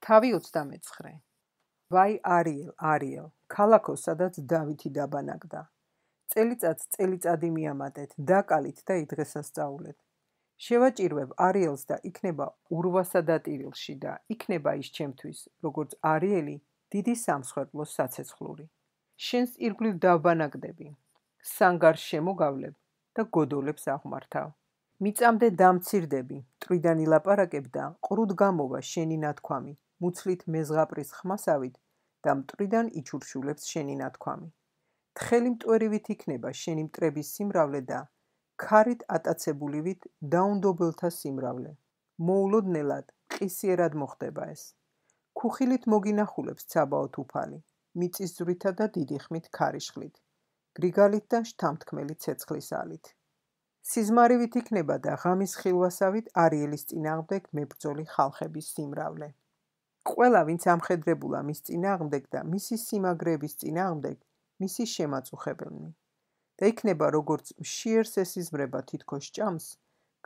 თავი 29. ვაი არიელ, ქალაქო, სადაც დავითი დაბანაკდა. წელიწადს წელიწადი მიამატეთ, დაკალით და იდღესასწაულეთ. შევაჭირვებ არიელს და იქნება ურვასა დატირილში და იქნება ის ჩემთვის, როგორც არიელი დიდი სამსხვერპლოს საცეცხლური. შენს ირგვლივ დავბანაკდები, სანგარს შემოგავლებ და გოდოლებს აღმართავ. მიწამდე დამცირდები, მტრიდან ილაპარაკებ და ყრუდ გამოვა შენი ნათქვამი, მუცლით მეზღაპრის ხმასავით და მტრიდან იჩურშულებს შენი ნათქვამი. თხელი მტვერივით იქნება შენი მტრების სიმრავლე და ქარით ატაცებულივით დაუნდობელთა სიმრავლე. მოულოდნელად, ყისიერად მოხდება ეს. ქუხილით მოგინახულებს ცაბაოთ უფალი, მიწისძვრითა და დიდი ხმით ქარიშხლით, გრიგალით და შთამთქმელი ცეცხლის ალით. სიზმარივით იქნება და ღამის ხილვასავით არიელის წინააღმდეგ მებრძოლი ხალხების სიმრავლე. ყველა, ვინც ამხედრებულა მის წინააღმდეგ და მისი სიმაგრეების წინააღმდეგ, მისი შემაწუხებელნი. და იქნება როგორც მშიერს ესიზმრება თითქოს ჭამს,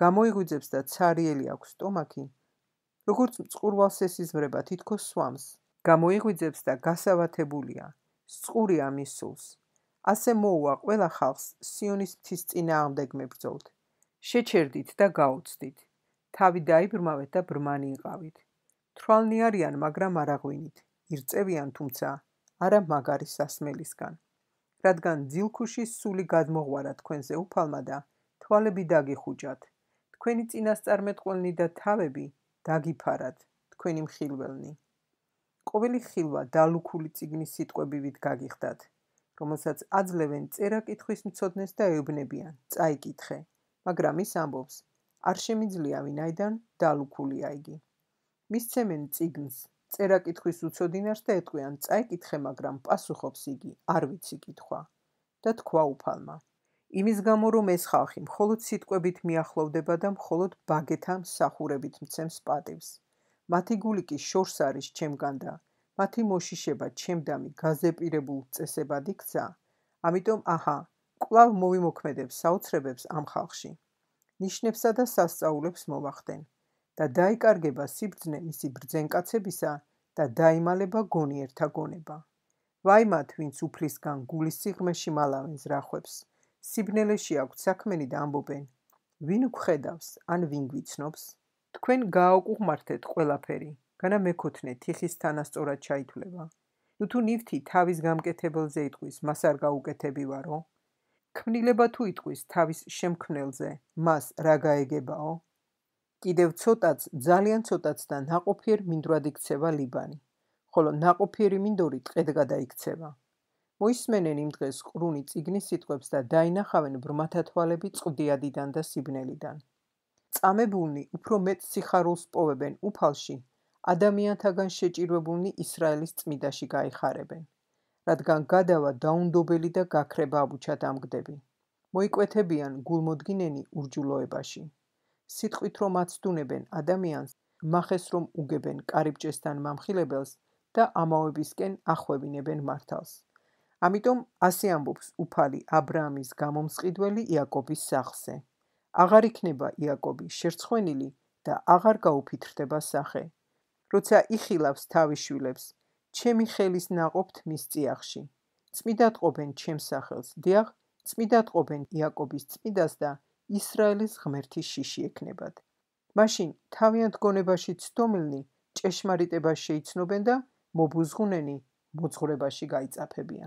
გამოიღვიძებს და ცარიელი აქვს სტომაქი, როგორც მწყურვალს ესიზმრება თითქოს სვამს, გამოიღვიძებს და გასავათებულია, სწყურია მის სულს. ასე მოუვა ყველა ხალხს სიონის მთის წინააღმდეგ მებრძოლთ. შეჩერდით და გაუცდით, თავი დაიბრმავეთ და ბრმანი იყავით. თვალნი არიან, მაგრამ არ აღვინით, ირწევიან, თუმცა არა მაგარი სასმელისგან. რადგან ძილქუშის სული გადმოღვარა თქვენზე უფალმა და თვალები დაგიხუჭათ, თქვენი წინასწარმეტყველნი და თავები დაგიფარად, თქვენი მხილველნი. ყოველი ხილვა დალუქული წიგნის სიტყვებივით გაგიხდათ, რომელსაც აძლევენ წერა-კითხვის მცოდნეს და ეუბნებიან, წაიკითხე, მაგრამ ის ამბობს, არ შემიძლია, ვინაიდან დალუქულია იგი. მისცემენ წიგნს, წერა-კითხვის უცოდინარს და ეტყვიან, წაიკითხე, მაგრამ პასუხობს იგი, არ ვიცი კითხვა. და თქვა უფალმა. იმის გამო, რომ ეს ხალხი მხოლოდ სიტყვებით მიახლოვდება და მხოლოდ ბაგეთა მსახურებით მცემს პატივს. მათი გული კი შორს არის ჩემგან და მათი მოშიშება ჩემდამი გაზეპირებულ წესებად იქცა, ამიტომ აჰა, კვლავ მოვიმოქმედებ საოცრებებს ამ ხალხში. ნიშნებსა და სასწაულებს მოვახდენ და დაიკარგება სიბრძნე მისი ბრძენკაცებისა და დაიმალება გონიერთა გონება. ვაი მათ, ვინც უფლისგან გულის სიღრმეში მალავენ ზრახვებს, სიბნელეში აქვთ საქმენი და ამბობენ, ვინ გვხედავს, ან ვინ გვიცნობს? თქვენ გააუკუღმართეთ ყველაფერი, განა მეკოთნე თიხის თანასწორად ჩაითვლება. ნუ ნივთი თავის გამკეთებელზე იტყვის, მას არ გაუკეთებივარო? ქმნილება თუ იტყვის თავის შემქმნელზე, მას რა გაეგებაო? კიდევ ცოტაც, ძალიან ცოტაც და ნაყოფიერ მინდვრად იქცევა ლიბანი, ხოლო ნაყოფიერი მინდორი ტყედ გადაიქცევა. მოისმენენ იმ დღეს ყრუნი წიგნის სიტყვებს და დაინახავენ ბრმათა თვალები წყდიადიდან და სიბნელიდან. წამებულნი უფრო მეტ სიხარულს პოვებენ უფალში, ადამიანთაგან შეჭირვებულნი ისრაელის წმიდაში გაიხარებენ, რადგან გადავა დაუნდობელი და გაქრება აბუჩად ამგდები. მოიკვეთებიან გულმოდგინენი ურჯულოებაში. სიტყვით რომ აცდუნებენ ადამიანს, მახეს რომ უგებენ კარიბჭესთან მამხილებელს და ამავებისკენ ახვევინებენ მართალს. ამიტომ ასე ამბობს უფალი აბრაამის გამომსყიდველი იაკობის სახლზე. აღარ იქნება იაკობი შერცხვენილი და აღარ გაუფითრდება სახე. როცა იხილავს თავის შვილებს, ჩემი ხელის ნაყოფთ მის წიაღში. წმიდად ყოფენ ჩემს სახელს, დიახ, წმიდად ყოფენ იაკობის წმიდას და ისრაელის ღმერთის შიში ექნებათ. მაშინ თავიანთ გონებაში ცდომილნი ჭეშმარიტებას შეიცნობენ და მობუზღუნენი მოძღვრებაში გაიწაფებიან.